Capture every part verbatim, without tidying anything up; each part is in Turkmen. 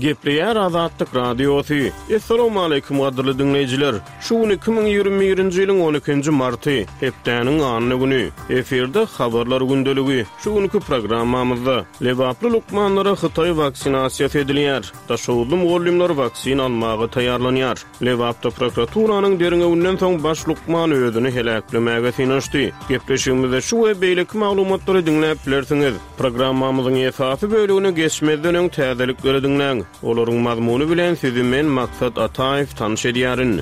Gepleýär Azatlyk Radiosy. Assalamualaikum gadyrly diňleýjiler. Şu gün iki müň ýigrimi birinji ýylyň on ikinji marty, hepdäniň anna güni. Efirde habarlar gündeligi. Şu günki programmamyzda Lebaply lukmanlara Hytaý waksinasiýasy edilýär. Daşoguzly mugallymlar waksin almaga taýýarlanýar. Lebapda prokuraturanyň derňewinden soň baş lukman özüni heläklemäge synanyşdy. Gepleşigimizde şu we beýleki maglumatlary diňläp bilersiňiz. Programmamyzyň esasy bölümine geçmezden öň täzelikleri diňläň. Olaryň mazmuny bilen sizi men Maksat Ataýew tanyş edýärin.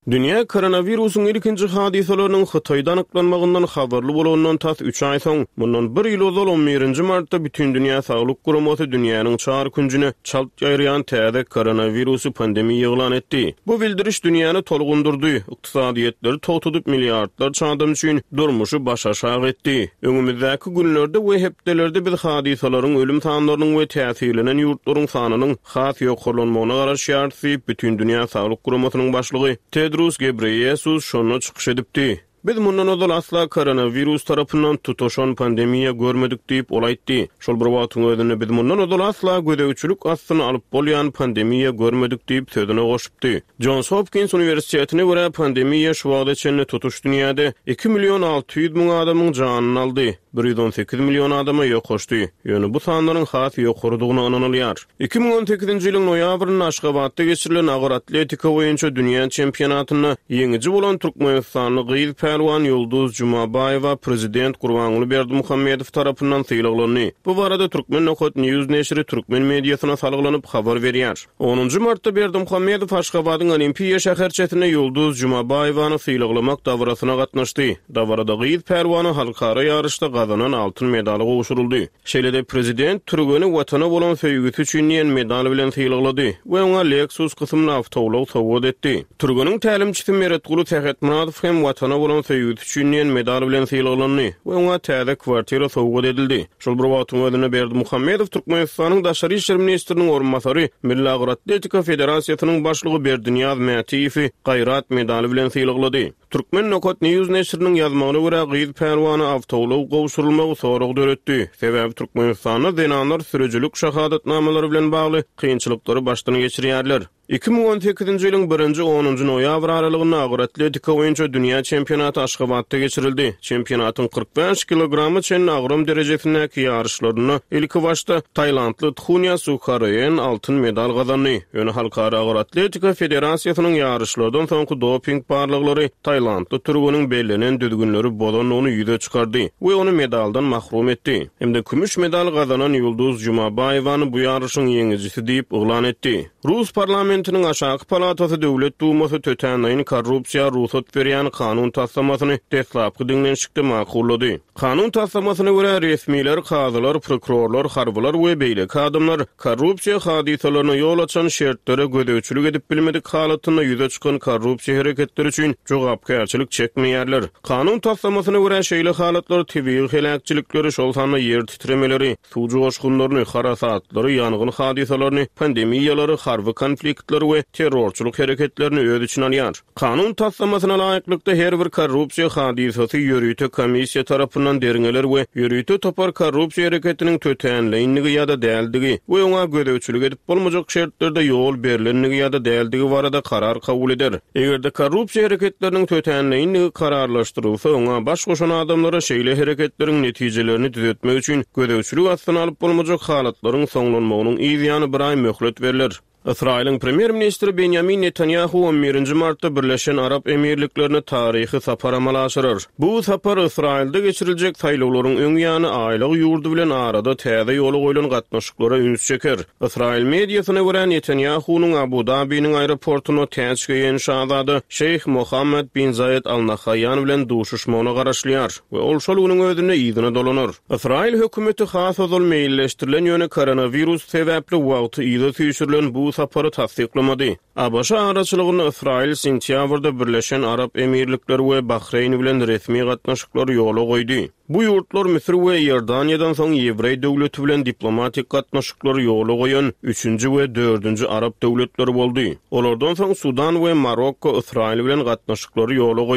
Dünýä koronawirusyň ilkinji hadysalarynyň Hytaýda anyklanmagyndan habarly bolandan tas üç aý soň, mundan bir ýyl ozal on birinji martda Bütindünýä Saglyk Guramasy dünýäniň çar künjüne çalt ýaýraýan täze koronawirusy pandemiýa yglan etdi. Bu bildiriş dünýäni tolgundurdy, ykdysadyýetleri togtadyp milliardlarça adam üçin durmuşy başaşak etdi. Öňümizdäki günlerde we hepdelerde biz hadysalaryň ölüm sanlarynyň we täsirlenen ýurtlaryň sanynyň has ýokarlanmagyna garaşýarys diýip Bütindünýä Saglyk Guramasynyň başlygy Tedros Ghebreyesus şonda çykyş edipdi. Biz mundan ozal asla koronavirus tarapyndan tutaşan pandemiýa görmedik diýip ol aýtdy. Şol bir wagtyň özünde biz mundan ozal asla gözegçilik astyna alyp bolýan pandemiýa görmedik diýip sözüne goşupdy. Johns Hopkins Uniwersitetine görä pandemiýa şu wagta çenli tutuş dünýäde iki million alty ýüz müň adamyň janyny aldy. bir ýüz on sekiz million adama ýokaşdy. Ýöne bu sanlaryň has ýokarydygyna ynanylýar. Iki müň on sekizinji ýylyň noýabrynda Aşgabatda geçirilen agyr atletika boýunça dünýä çempionatynda ýeňiji bolan Türkmenistanly gyz pälwan Ýulduz Jumabaýewa prezident Gurbanguly Berdimuhamedow tarapyndan sylaglandy. Bu barada Türkmen Nokat News neşiri türkmen mediasyna salgylanyp habar berýär. Onunjy martda Berdimuhamedow Aşgabadyň Olimpiýa şäherçesinde Ýulduz Jumabaýewany sylaglamak dabarasyna gatnaşdy. Dabarada gyz pälwana halkara ýaryşda gazanan altyn medaly gowşuryldy. Şeýle-de prezident türgeni watana bolan söýgüsi üçin diýen medal bilen sylaglady we oňa Lexus kysymly awtoulag sowgat etdi. Türgeniň tälimçisi Meretguly Sähetmyradow hem watana bolan söýgüsi üçin diýen medal bilen sylaglandy we oňa täze kwartira sowgat edildi. Şol bir wagtyň özünde Berdimuhamedow Türkmenistanyň Daşary işler ministriniň orunbasary, Milli Agyr Atletika Federasiýasynyň başlygy Berdinyýaz Mätiýewi Gaýrat medaly bilen sylaglady. Türkmen Nokat News neşiriniň ýazmagyna görä gyz pälwana awtoulag gowşurylmagy sorag döretdi. Sebäbi Türkmenistanda zenanlar sürüjilik şahadatnamalary bilen bagly kynçylyklary başdan geçirýärler. Iki müň on sekizinji ýylyň birinji onunjy noýabr aralygynda agyr atletika boýunça dünýä çempionaty Aşgabatda geçirildi. Çempionatyň kyrk bäş kilograma çenli agram derejesindäki ýaryşlarynda ilki başda Tailandly Txunýa Sukharoen altyn medal gazandy. Ýöne Halkara Agyr Atletika Federasiýasynyň ýaryşlardan soňky doping barlaglary Tailandly türgeniň bellenen düzgünleri bozandygyny ýüze çykardy we ony medaldan mahrum etdi. Hem-de kümüş medal gazanan Ýulduz Jumabaýewany bu ýaryşyň ýeňijisi diýip yglan etdi. Rus parlamentiniň aşaky palatasy Döwlet Dumasy tötänleýin korrupsiýa rugsat berýän kanun taslamasyny deslapky diňlenişikde makullady. Kanun taslamasyna görä resmiler, kazylar, prokurorlar, harbylar we beýleki adamlar korrupsiýa hadysalaryna ýol açan şertlere gözegçilik edip bilmedik halatynda ýüze çykan korrupsiýa hereketleri üçin jogapkärçilik çekmeýärler. Kanun taslamasyna görä şeýle halatlar tebigy heläkçilikleri, şol sanda ýer titremeleri, suw joşgunlaryny, harasatlary, ýangyn hadysalaryny, pandemiýalary, harby konfliktleri we terrorçylyk hereketlerini öz içine alýar. Kanun taslamasyna laýyklykda her bir korrupsiýa hadysasy ýörite komissiýa tarapyndan derňeler we ýörite topar korrupsiýa hereketiniň tötänleýinligi ýa-da däldigi we oňa gözegçilik edip bolmajak şertlerde ýol berlenligi ýa-da däldigi barada karar kabul eder. Eger-de korrupsiýa hereketleriniň tötänleýinligi kararlaşdyrylsa, oňa baş goşan adamlara şeýle hereketleriň netijelerini düzetmek üçin gözegçilik astyna alyp bolmajak halatlaryň soňlanmagynyň yz ýany bir aý möhlet berler. Ysraýylyň premýer-ministri Benjamin Netanyahu on birinji martda Birleşen Arap Emirliklerine taryhy sapar amala aşyrar. Bu sapar Ysraýylda geçiriljek saýlawlaryň öň ýany aýlyk ýurdy bilen arada täze ýola goýlan gatnaşyklara üns çeker. Ysraýyl mediasyna görä Netanyahunyň Abu Dabiniň aeroportuna täç geýen şazada Şeýh Mohammed bin Zayed Al Nahýan bilen duşuşmagyna garaşylýar we ol şol günüň özünde yzyna dolanar. Ysraýyl hökümeti has ozal meýilleşdirilen ýöne koronawirus sebäpli wagty yza süýşürilen bu sapary tassyklamady. A B Ş araçylygynda Ysraýyl sentýabrda Birleşen Arap Emirlikleri we Bahreýn bilen resmi gatnaşyklary ýola goýdy. Bu ýurtlar Müsür we Iordaniýadan soň Ýewreý döwleti bilen diplomatik gatnaşyklary ýola goýan üçünji we dördünji Arap döwletleri boldy. Olardan soň Sudan we Marokko Ysraýyl bilen gatnaşyklary ýola goýdy.